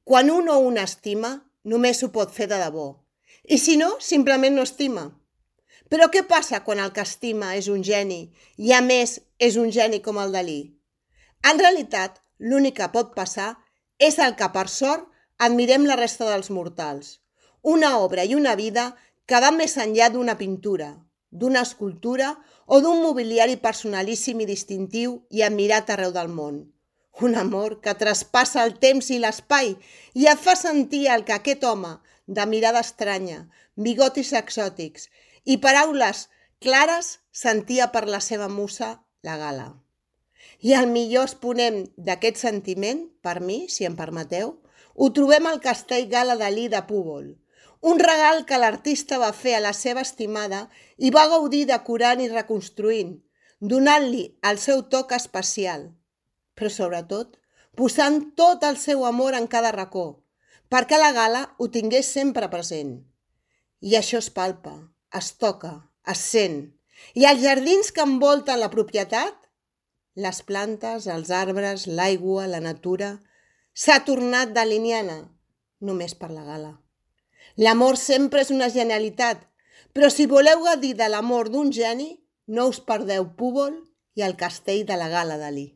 Quan un o una estima, només ho pot fer de debò. I si no, simplement no estima. Però què passa quan el que estima és un geni i, a més, és un geni com el Dalí? En realitat, l'únic que pot passar és el que, per sort, admirem la resta dels mortals. Una obra i una vida que va més enllà d'una pintura, d'una escultura o d'un mobiliari personalíssim i distintiu i admirat arreu del món. Un amor que traspassa el temps i l'espai i et fa sentir el que aquest home, de mirada estranya, bigotis exòtics i paraules clares, sentia per la seva musa, la Gala. I el millor exponent d'aquest sentiment, per mi, si em permeteu, ho trobem al Castell Gala Dalí de Púbol, un regal que l'artista va fer a la seva estimada i va gaudir decorant i reconstruint, donant-li el seu toc especial, però sobretot posant tot el seu amor en cada racó, perquè la Gala ho tingués sempre present. I això es palpa, es toca, es sent. I els jardins que envolten la propietat, les plantes, els arbres, l'aigua, la natura, s'ha tornat daliniana, només per la Gala. L'amor sempre és una genialitat, però si voleu gaudir de l'amor d'un geni, no us perdeu Púbol i el castell de la Gala Dalí.